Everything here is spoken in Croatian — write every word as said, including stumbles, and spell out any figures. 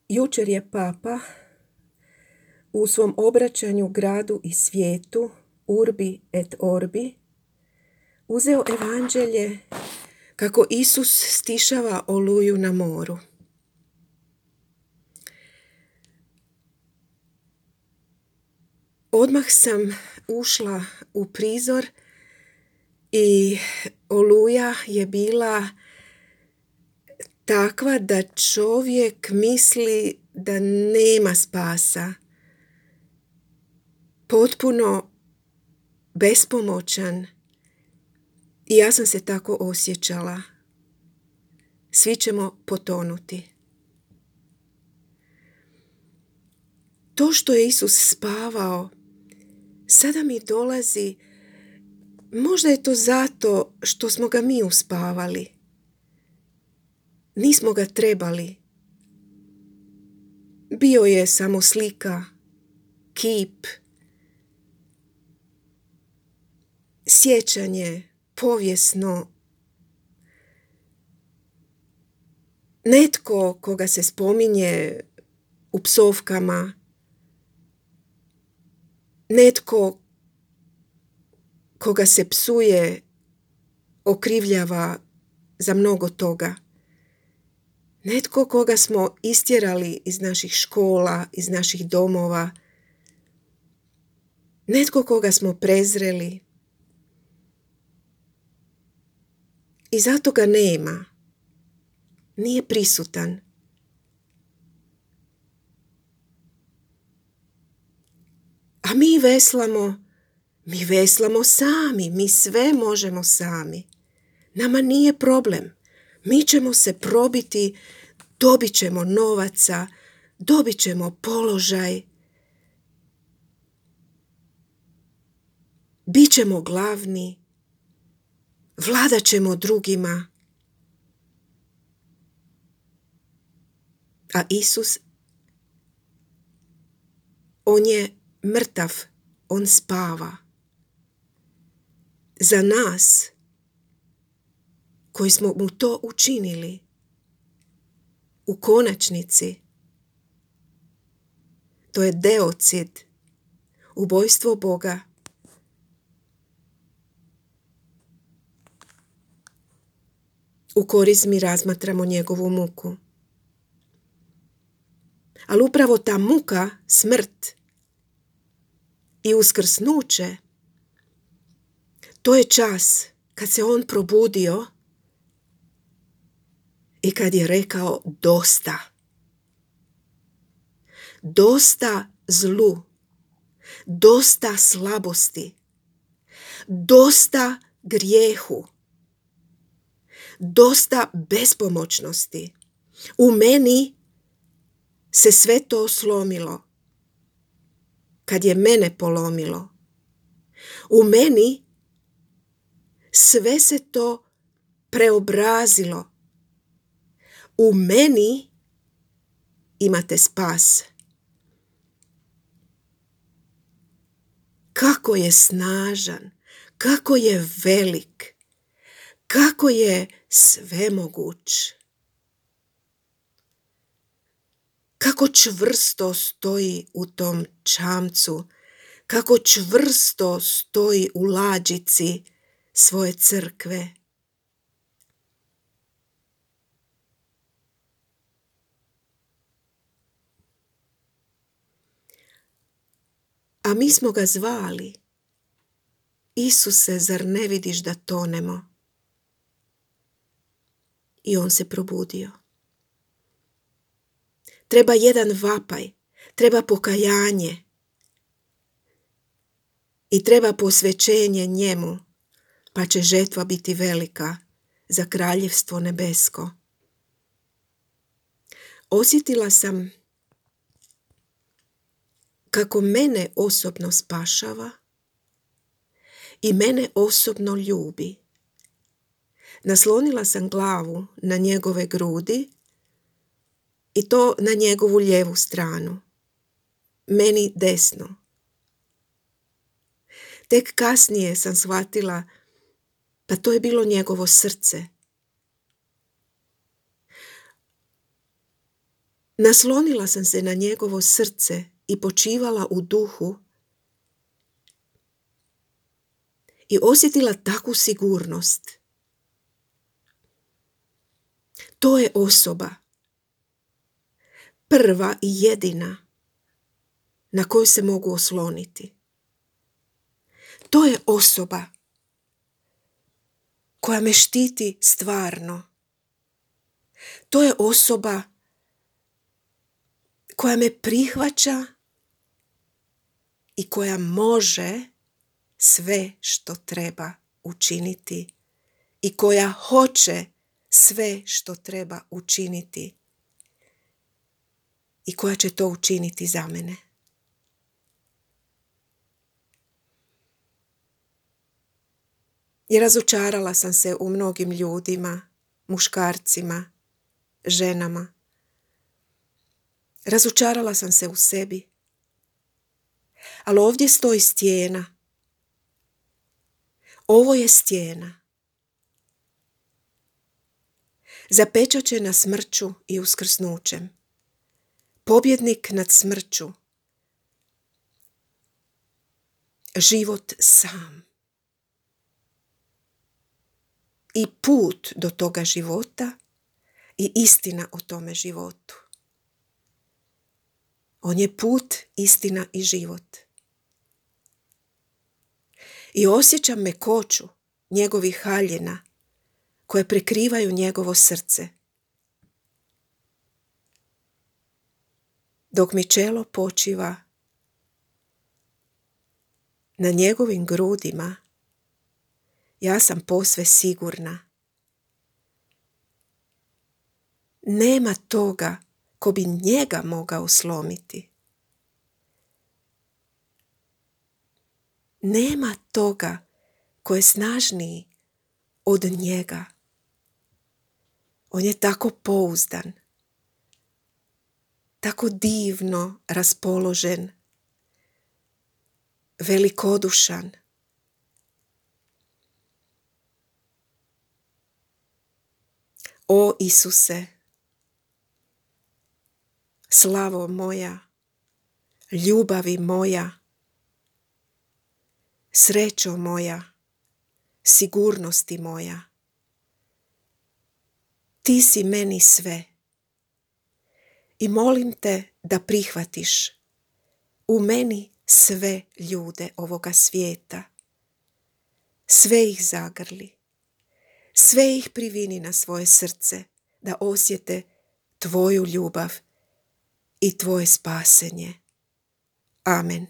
Jučer je Papa u svom obraćanju gradu i svijetu, Urbi et Orbi, uzeo evanđelje kako Isus stišava oluju na moru. Odmah sam ušla u prizor i oluja je bila takva da čovjek misli da nema spasa. Potpuno bespomoćan. I ja sam se tako osjećala. Svi ćemo potonuti. To što je Isus spavao, sada mi dolazi, možda je to zato što smo ga mi uspavali. Nismo ga trebali. Bio je samo slika, kip, sjećanje, povijesno. Netko koga se spominje u psovkama, netko koga se psuje, okrivljava za mnogo toga. Netko koga smo istjerali iz naših škola, iz naših domova. Netko koga smo prezreli. I zato ga nema. Nije prisutan. A mi veslamo, mi veslamo sami, mi sve možemo sami. Nama nije problem. Mi ćemo se probiti, dobit ćemo novaca, dobit ćemo položaj. Bićemo glavni, vladat ćemo drugima. A Isus, on je mrtav, on spava. Za nas, koji smo mu to učinili, u konačnici, to je deocid, ubojstvo Boga. U korizmi razmatramo njegovu muku. Ali upravo ta muka, smrt i uskrsnuće, to je čas kad se on probudio i kad je rekao dosta. Dosta zlu, dosta slabosti, dosta grijehu, dosta bespomoćnosti. U meni se sve to slomilo. Kad je mene polomilo. U meni sve se to preobrazilo. U meni imate spas. Kako je snažan, kako je velik, kako je svemoguć. Kako čvrsto stoji u tom čamcu, kako čvrsto stoji u lađici svoje crkve. A mi smo ga zvali. Isuse, zar ne vidiš da tonemo? I on se probudio. Treba jedan vapaj, treba pokajanje i treba posvećenje njemu, pa će žetva biti velika za kraljevstvo nebesko. Osjetila sam kako mene osobno spašava i mene osobno ljubi. Naslonila sam glavu na njegove grudi i to na njegovu lijevu stranu, meni desno. Tek kasnije sam shvatila, pa to je bilo njegovo srce. Naslonila sam se na njegovo srce i počivala u duhu i osjetila takvu sigurnost. To je osoba, prva i jedina na koju se mogu osloniti. To je osoba koja me štiti stvarno. To je osoba koja me prihvaća i koja može sve što treba učiniti i koja hoće sve što treba učiniti i koja će to učiniti za mene. I razočarala sam se u mnogim ljudima, muškarcima, ženama. Razočarala sam se u sebi. Ali ovdje stoji stijena. Ovo je stijena. Zapečaćena smrću i uskrsnućem. Pobjednik nad smrću. Život sam. I put do toga života i istina o tome životu. On je put, istina i život. I osjećam mekoću njegovih haljina koje prekrivaju njegovo srce. Dok mi čelo počiva na njegovim grudima, ja sam posve sigurna. Nema toga ko bi njega mogao slomiti. Nema toga ko je snažniji od njega. On je tako pouzdan, tako divno raspoložen, velikodušan. O Isuse, slavo moja, ljubavi moja, srećo moja, sigurnosti moja. Ti si meni sve i molim te da prihvatiš u meni sve ljude ovoga svijeta. Sve ih zagrli, sve ih privini na svoje srce da osjete tvoju ljubav i tvoje spasenje. Amen.